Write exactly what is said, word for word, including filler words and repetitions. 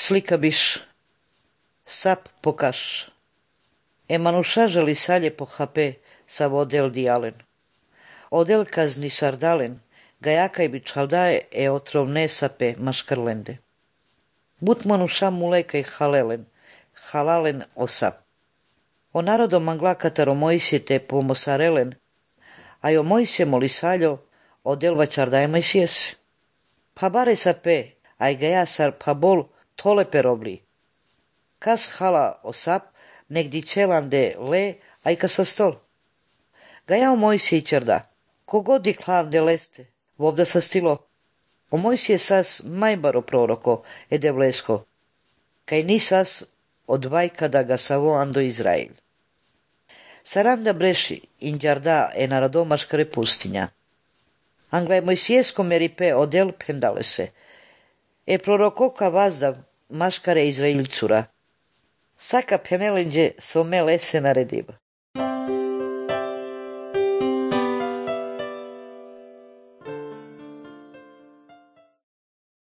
Slika biš. Sap pokaš. Emanuša želi salje po hape sa vodel dialen. Odel kazni sardalen, gajakaj bi čaldaje e otrovne sape maškarlende. But manuša mulekaj halelen, halalen o sap. O narodo mangla kataro Mojsije te pomosarelen, a jo Mojsije moli saljo, odel vačardaje majsijese. Pa bare sape, aj gaja sar pa bol tole perobli. Kas hala o sap, negdi čelande le, aj ka sa stol. Gaja o Mojsije čarda, kogodi klande leste, vovda sa stilo. O Mojsije sas majbaro proroko, ede vlesko, kaj nisas od vajka da ga savo ando Izrael. Saranda breši, inđarda e naradomaškare pustinja. Anglaj Mojsijesko meripe odel pendale se, e prorokoka vazdav maškare Izrailcura. Saka penelenđe some lese narediva.